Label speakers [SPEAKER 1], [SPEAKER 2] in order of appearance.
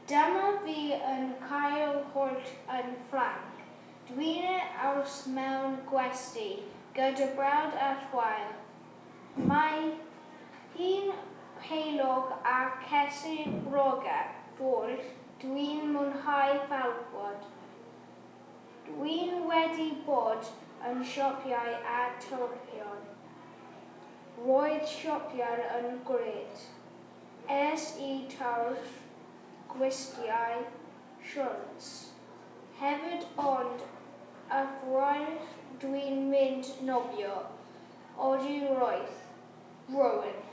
[SPEAKER 1] Dyma fi yn cael hwyl yn Ffrainc. Dwi'n aros mewn gwesty gyda brawd a chwaer. Mae hi'n heulog a ces i broga dwll. Dwi'n mwynhau falwod. Dwi'n wedi bod yn siopiau a twrcion. Roedd siopiau yn grêt. Es i twll gwisgiau siorts hefyd ond yfory dwi'n mynd nofio. Odi roedd. Rowan.